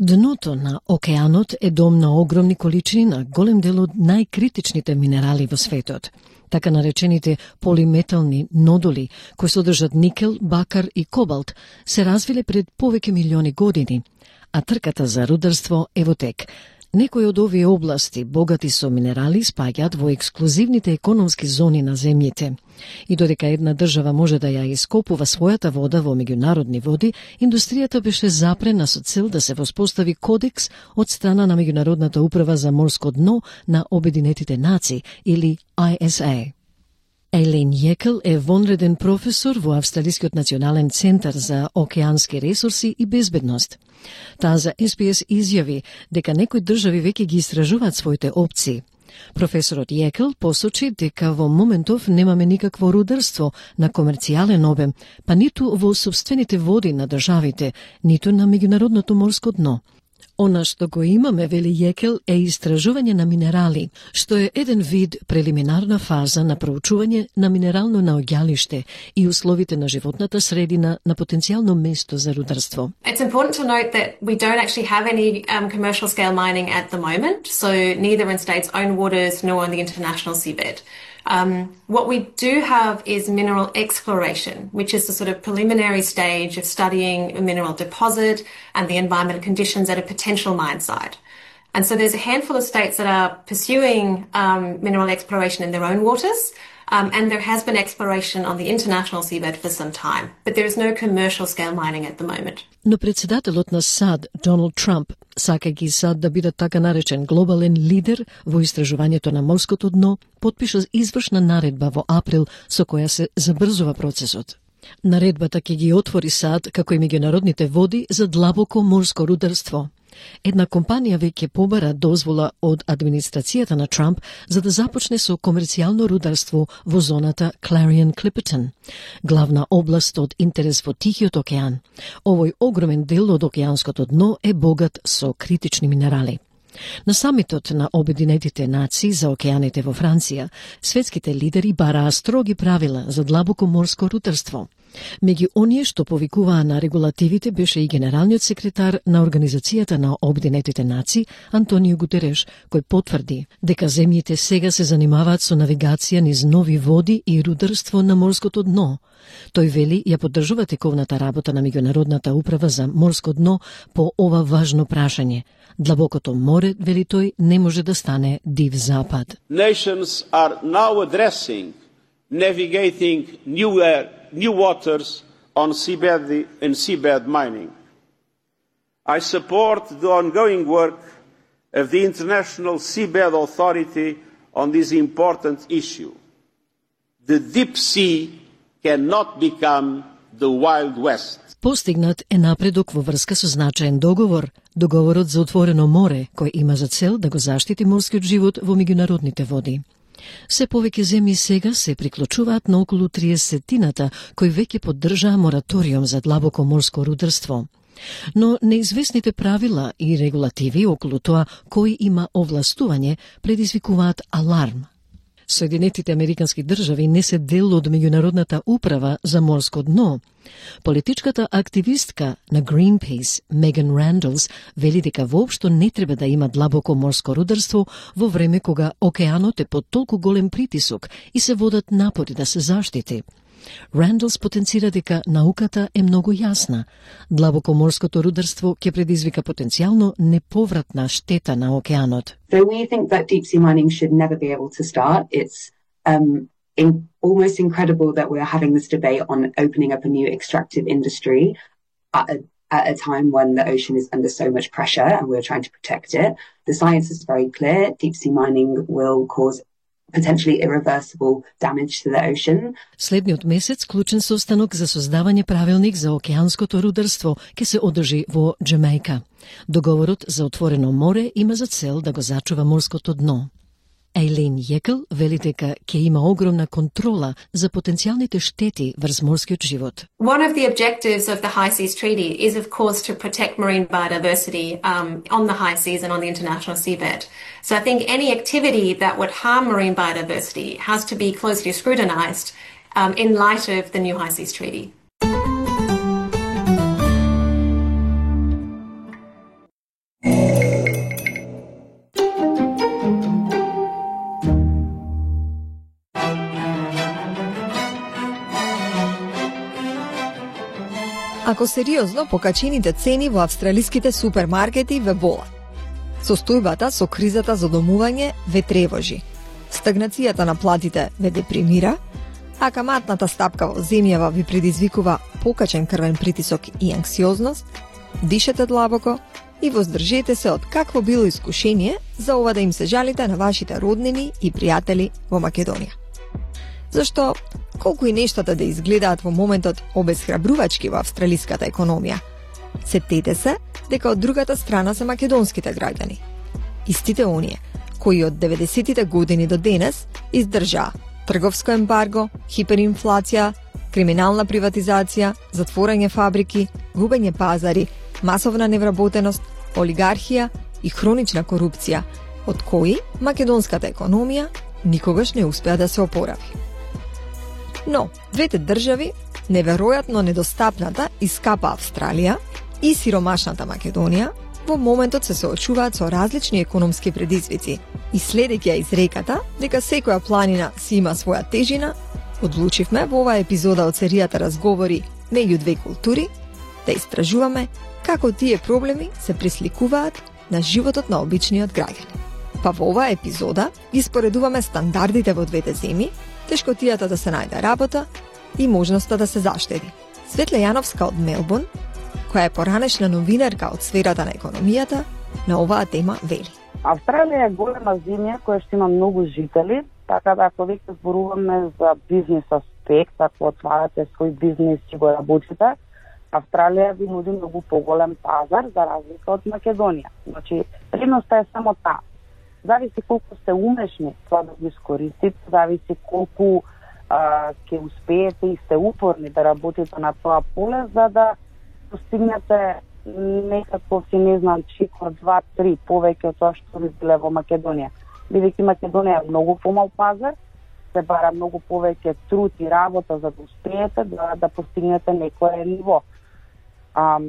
Дното на океанот е дом на огромни количини на голем дел од најкритичните минерали во светот. Така наречените полиметални нодули, кои содржат никел, бакар и кобалт, се развиле пред повеќе милиони години, а трката за рударство е во тек. Некои од овие области, богати со минерали, спаѓаат во ексклузивните економски зони на земјите. И додека една држава може да ја ископува својата вода во меѓународни води, индустријата беше запрена со цел да се воспостави кодекс од страна на Меѓународната управа за морско дно на Обединетите нации, или I S A. Ейлин Јекел е вонреден професор во Австралискиот национален центар за океански ресурси и безбедност. Таа за Ес Би Ес изјави дека некои држави веќе ги истражуваат своите опции. Професорот Јекел посочи дека во моментов немаме никакво рударство на комерцијален обем, па ниту во собствените води на државите, ниту на меѓународното морско дно. Она што го имаме, вели Јекел, е истражување на минерали, што е еден вид прелиминарна фаза на проучување на минерално наоѓалиште и условите на животната средина на потенцијално место за рударство. It's important to note that we don't actually have any um, commercial scale mining at the moment, so neither in states' own waters nor on the international seabed. Um, what we do have is mineral exploration, which is the sort of preliminary stage of studying a mineral deposit and the environmental conditions at a potential mine site. And so there's a handful of states that are pursuing um, mineral exploration in their own waters, um, and there has been exploration on the international seabed for some time, but there is no commercial scale mining at the moment. Но председателот на САД, Доналд Трамп, сакајќи САД да биде така наречен глобален лидер во истражувањето на морското дно, потпиша извршна наредба во април со која се забрзува процесот. Наредбата ќе ги отвори САД како и меѓународните води за длабоко морско рударство. Една компанија веќе побара дозвола од администрацијата на Трамп за да започне со комерцијално рударство во зоната Clarion-Clipperton, главна област од интерес во Тихиот океан. Овој огромен дел од океанското дно е богат со критични минерали. На самитот на Обединетите нации за океаните во Франција, светските лидери бараа строги правила за длабоко морско рударство. Меѓу оние што повикуваа на регулативите беше и генералниот секретар на Организацијата на Обединетите нации Антонио Гутереш, кој потврди дека земјите сега се занимаваат со навигација низ нови води и рударство на морското дно. Тој вели ја поддржува тековната работа на Меѓународната управа за морско дно по ова важно прашање. Длабокото море, вели тој, не може да стане див запад. Nations are now addressing navigating new air, new waters on seabed and seabed mining. I support the ongoing work of the International Seabed Authority on this important issue. The deep sea cannot become the Wild West. Постигнат е напредок во врска со значаен договор, договорот за отворено море, кој има за цел да го заштити морскиот живот во меѓународните води. Се повеќе земји сега се приклучуваат на околу триесеттината кои веќе поддржаа мораториум за длабоко морско рударство. Но неизвестните правила и регулативи околу тоа кој има овластување предизвикуваат аларм. Соединетите Американски држави не се дел од Меѓународната управа за морско дно. Политичката активистка на Greenpeace, Меган Рандалс, вели дека воопшто не треба да има длабоко морско рударство во време кога океанот е под толку голем притисок и се водат напори да се заштити. Рандалс потенцира дека науката е многу јасна. Длабоко морското рударство ќе предизвика потенцијално неповратна штета на океанот. So we think that deep sea mining should never be able to start. It's um, in, almost incredible that we're having this debate on opening up a new extractive industry at a, at a time when the ocean is under so much pressure and we're trying to protect it. The science is very clear. Deep sea mining will cause potentially irreversible damage to the ocean. Следниот месец клучен состанок за создавање правилник за океанското рударство ќе се одржи во Џамајка. Договорот за отворено море има за цел да го зачува морското дно. Ейлин Јекл вели дека ќе има огромна контрола за потенцијалните штети врз морскиот живот. One of the objectives of the High Seas Treaty is, of course, to protect marine biodiversity um, on the high seas and on the international seabed. So I think any activity that would harm marine biodiversity has to be closely scrutinised um, in light of the new High Seas Treaty. Ако сериозно, покачените цени во австралиските супермаркети ве болат. Состојбата со кризата за домување ве тревожи. Стагнацијата на платите ве депримира, а каматната стапка во земјава ви предизвикува покачен крвен притисок и анксиозност, дишете длабоко и воздржете се од какво било искушение за ова да им се жалите на вашите роднини и пријатели во Македонија. Зашто, колку и нештата да изгледаат во моментот обесхрабрувачки во австралиската економија, сетете се дека од другата страна се македонските граѓани. Истите оние, кои од деветдесетите години до денес издржаа трговско ембарго, хиперинфлација, криминална приватизација, затворање фабрики, губење пазари, масовна невработеност, олигархија и хронична корупција, од кои македонската економија никогаш не успеа да се опорави. Но, двете држави, неверојатно недостапната и скапа Австралија и сиромашната Македонија, во моментот се соочуваат со различни економски предизвици и следејќи ја изреката дека секоја планина си има своја тежина, одлучивме во оваа епизода од серијата Разговори меѓу две култури да истражуваме како тие проблеми се присликуваат на животот на обичниот граѓанин. Па во оваа епизода ги споредуваме стандардите во двете земји, тешкотијата да се најде работа и можноста да се заштеди. Светле Јановска од Мелбурн, која е поранешна новинарка од сферата на економијата, на оваа тема вели. Австралија е голема земја која што има многу жители, така да ако веќе зборуваме за бизнес аспект, ако отварате свој бизнес и го работите, Австралија ви нуди многу поголем пазар за разлика од Македонија. Значи, предноста е само таа. Зависи колку сте умешни тоа да го искористите, зависи колку а, ќе успеете и сте упорни да работите на тоа поле, за да постигнете некаков, си не знам, чикор, два, три, повеќе од тоа што ви биле во Македонија. Бидејќи Македонија е многу помал пазар, се бара многу повеќе труд и работа за да успеете да, да постигнете некое ниво. А,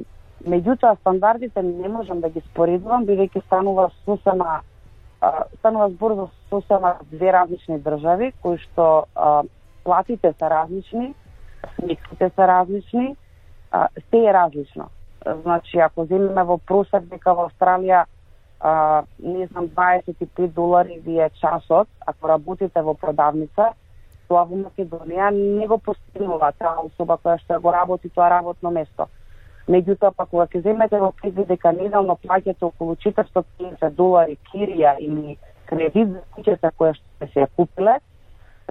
меѓутоа, стандардите не можам да ги споредувам, бидејќи станува сосема станува збор за сосема две различни држави, кои што а, платите се различни, сметките се различни, а, се е различно. Значи, ако земеме во просек дека во Австралија а, не знам, дваесет и пет долари ви е часот, ако работите во продавница, тоа во Македонија не го постигнува таа особа која што го работи тоа работно место. Меѓутоа, па кога ќе земете во предвид дека неделно плаќате околу четиристотини и педесет долари кирија или кредит за куќата која што сте се ја купиле,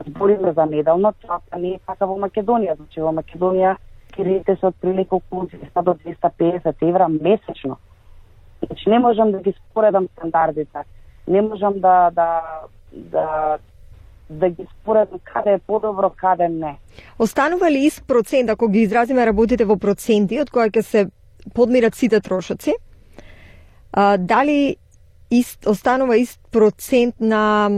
збориме за неделно, тоа па не е така во Македонија. Значи, во Македонија кредитите се отприлика околу двеста до двеста и педесет евра месечно. Значи, не можам да ги споредам стандардите. Не можам да, да, да да ги споредам каде е подобро, каде не. Останува ли ист процент, ако ги изразиме работите во проценти, од која ќе се подмират сите трошоци? А, дали ист, останува ист процент на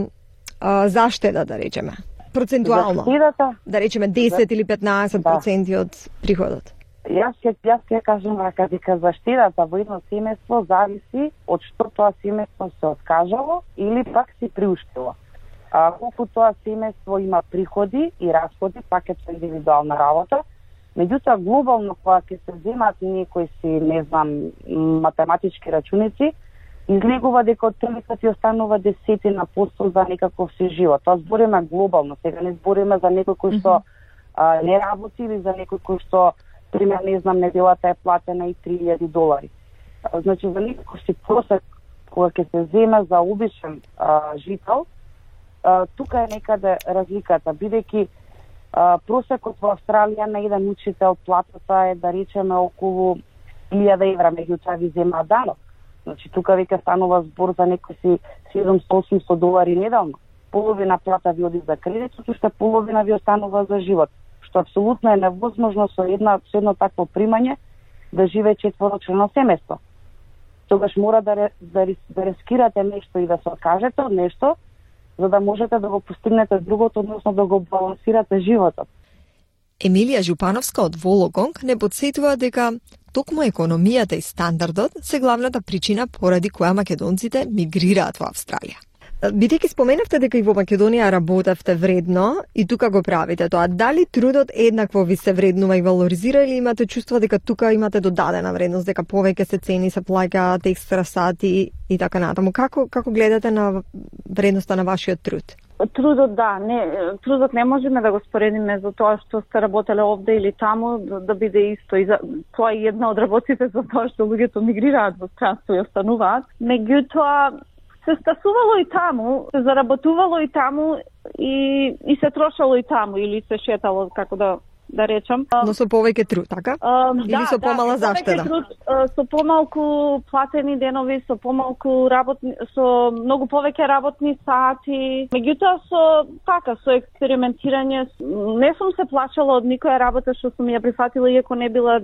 а, заштеда, да речеме? Процентуално? Заштедата? Да речеме десет или петнаесет проценти да. Од приходот? Јас ќе јас ќе кажам дека дека заштедата во едно семејство зависи од што тоа семејство се откажало или пак си приуштило. А, колку тоа семејство има приходи и расходи, пак е тоа индивидуална работа. Меѓутоа, глобално, кога ќе се земат некои си, не знам, математички рачуници, излегува дека отприлика ти останува десетина посто за некаков си живот. Тоа збориме глобално, сега не збориме за некој кој што а, не работи или за некој кој што, пример, не знам, неделата е платена и три илјади долари. А, значи, за некој си просек, кога ќе се земе за обичен а, жител, а, тука е некаде разликата, бидејќи просекот во Австралија на еден учител платата е, да речеме, околу илјада евра, меѓутоа ви зема данок. Значи, тука веќе станува збор за некој си седумстотини долари неделно. Половина плата ви оди за кредит, уште половина ви останува за живот, што апсолутно е невозможно со една со едно такво примање да живее четворочлено семејство. Тогаш мора да, да, да рискирате нешто и да се откажете од нешто, за да можете да го постигнете другото, односно да го балансирате животот. Емилија Жупановска од Вологонг не подсетува дека токму економијата и стандардот се главната причина поради која македонците мигрираат во Австралија. Бидејќи споменавте дека и во Македонија работевте вредно и тука го правите тоа, дали трудот еднакво ви се вреднува и валоризира или имате чувство дека тука имате додадена вредност, дека повеќе се цени, се плаќаат екстра сати и така натаму? Како како гледате на вредноста на вашиот труд? Трудот, да, не, трудот не можеме да го споредиме за тоа што сте работеле овде или таму, да, да биде исто. И за, тоа е една од работите за тоа што луѓето мигрираат во странство и остануваат. Меѓутоа, се стасувало и таму, се заработувало и таму и, и се трошало и таму или се шетало, како да да речам. Но со повеќе труд, така? А, или да, со помала да, заштеда? Труд, со помалку платени денови, со помалку работни, со многу повеќе работни сати. Меѓутоа со така со експериментирање, не сум се плашала од никоја работа што сум ја прифатила, иако не била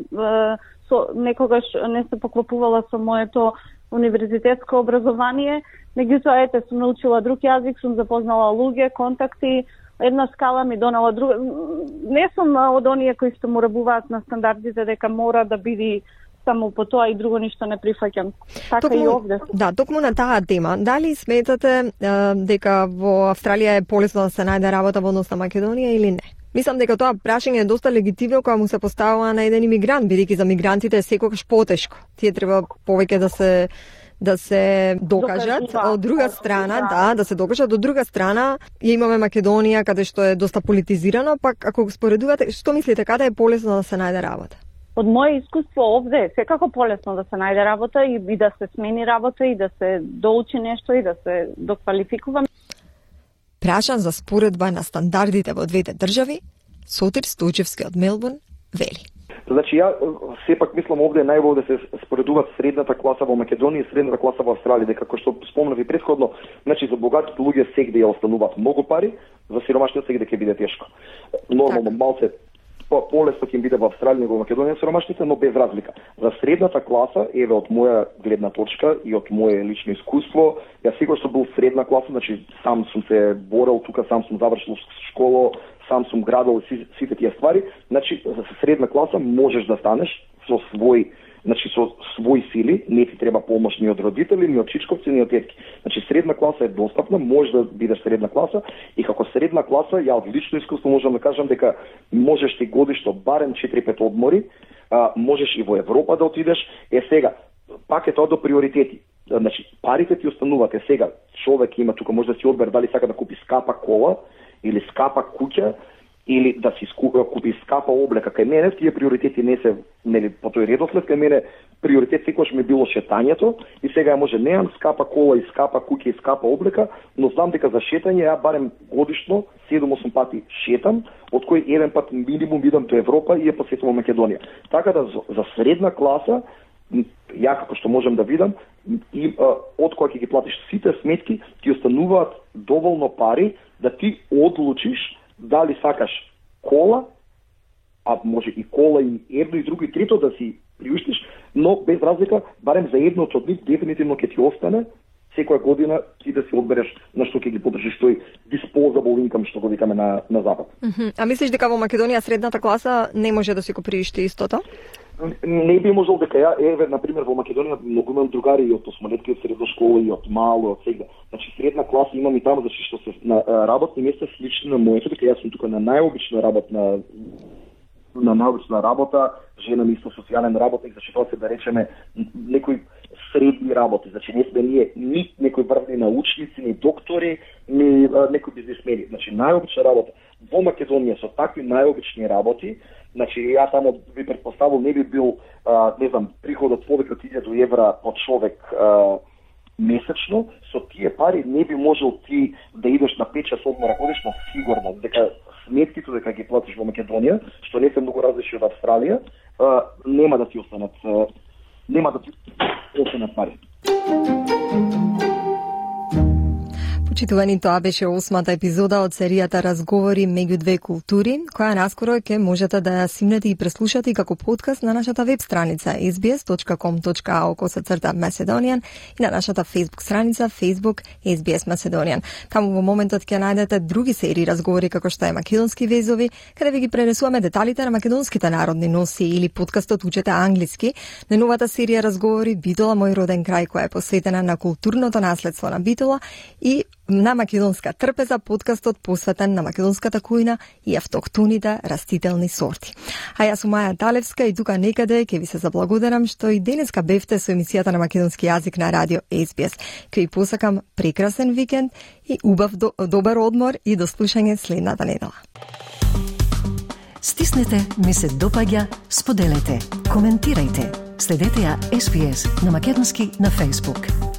со некогаш не се поклопувала со моето универзитетско образование. Меѓутоа, ете, сум научила друг јазик, сум запознала луѓе, контакти, една скала ми донала друга. Не сум од оние кои што му рабуваат на стандардите дека мора да биде само по тоа и друго ништо не прифаќам. Така токму, и овде. Да, токму на таа тема. Дали сметате е, дека во Австралија е полесно да се најде работа во однос на Македонија или не? Мислам дека тоа прашање е доста легитимно кога му се поставува на еден имигрант, бидејќи за мигрантите е секогаш потешко. Тие треба повеќе да се да се докажат, Докажува. Од друга страна, да. да, да се докажат, од друга страна, ја имаме Македонија каде што е доста политизирано, пак ако го споредувате, што мислите, каде е полесно да се најде работа? Од моје искуство овде е секако полесно да се најде работа и, и да се смени работа и да се доучи нешто и да се доквалификува. Прашан за споредба на стандардите во двете држави, Сотир Стојчевски од Мелбурн вели. Значи, ја сепак мислам овде е најбоље да се споредуваат средната класа во Македонија и средната класа во Австралија, дека како што спомнав и претходно, значи за богатите луѓе сегде ја остануваат многу пари, за сиромашните сегде ќе биде тешко. Нормално малце полесно ќе им биде во Австралија него во Македонија сиромашните, но без разлика. За средната класа, еве од моја гледна точка и од моје лично искуство, ја секогаш сум бил средна класа, значи сам сум се борел тука, сам сум завршил школа, сам сум градел сите тие ствари. Значи за средна класа можеш да станеш со свој, значи со своји сили, не ти треба помош ни од родители, ни од чичковци, ни од тетки. Значи средна класа е достапна, можеш да бидеш средна класа и како средна класа ја од лично искуство можам да кажам дека можеш ти годишно барем четири-пет одмори, а, можеш и во Европа да отидеш. Е сега, пак е тоа до приоритети. Значи парите ти остануваат. Е сега, човек има тука може да си одбере дали сака да купи скапа кола или скапа куќа, или да си купи скапа облека. Кај мене тие приоритети не се, нели, по тој редослед, кај мене приоритет секогаш ми било шетањето и сега може неам скапа кола и скапа куќа и скапа облека, но знам дека за шетање ја барем годишно седум-осум пати шетам, од кој еден пат минимум идам до Европа и ја посетувам Македонија. Така да за средна класа ја како што можам да видам и а, од која ќе ги платиш сите сметки, ти остануваат доволно пари да ти одлучиш дали сакаш кола, а може и кола и едно и друго и трето да си приуштиш, но без разлика, барем за едното од нив дефинитивно ќе ти остане секоја година ти да си одбереш на што ќе ги подржиш тој disposable income што го викаме на на запад. Mm-hmm. А мислиш дека во Македонија средната класа не може да си го приушти истото? Не би можел дека ја, еве, например, во Македонија многу имам другари и од осмолетки, од средна школа и од мало, од сега. Значи, средна класа имам и таму, значи, што се на работни места слични на моето, дека јас сум тука на најобична работна на научна работа, жена ми исто социјален работник, значи тоа се да речеме некој средни работи. Значи не сме ние ни некои врвни научници, ни доктори, ни а, некои бизнесмени. Значи најобична работа во Македонија со такви најобични работи. Значи ја таму би претпоставил не би бил а, не знам приходот повеќе од илјаду евра по човек а, месечно. Со тие пари не би можел ти да идеш на пет часот одмора годишно сигурно, дека сметките дека ги платиш во Македонија, што не се многу различни од Австралија, а, нема да ти останат а, нема да ти останат пари. Почитувани, тоа беше осмата епизода од серијата Разговори меѓу две култури, која наскоро ќе можете да ја симнете и преслушате како подкаст на нашата веб страница ес би ес точка ком точка ау косацрта Macedonian и на нашата Facebook страница Facebook ес би ес Macedonian. Таму во моментот ќе најдете други серии разговори како што е Македонски везови, каде ви ги пренесуваме деталите на македонските народни носи, или подкастот Учете англиски. Најновата серија Разговори Битола мој роден крај, која е посветена на културното наследство на Битола, и на македонска трпеза, подкастот посветен на македонската кујна и автохтоните растителни сорти. А јас сум Маја Талевска и тука некаде ќе ви се заблагодарам што и денеска бевте со емисијата на македонски јазик на радио ес би ес. Ќе ви посакам прекрасен викенд и убав до, добар одмор и до слушање следната недела. Стиснете, ми се допаѓа, споделете, коментирајте. Следете ја ес би ес на македонски на Facebook.